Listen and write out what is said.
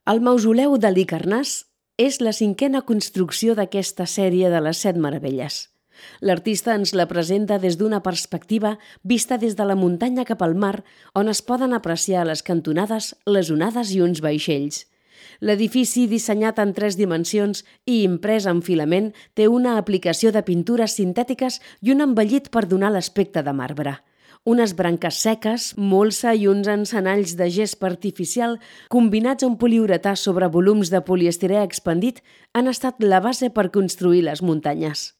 El mausoleu d'Halicarnàs és la cinquena construcció d'aquesta sèrie de les 7 meravelles. L'artista ens la presenta des d'una perspectiva vista des de la muntanya cap al mar, on es poden apreciar a les cantonades les onades i uns vaixells. L'edifici, dissenyat en 3 dimensions i imprès en filament, té una aplicació de pintures sintètiques i un embellit per donar l'aspecte de marbre. Unes branques seques, molsa i uns encenalls de gespa artificial combinats amb poliuretà sobre volums de poliestirè expandit han estat la base per construir les muntanyes.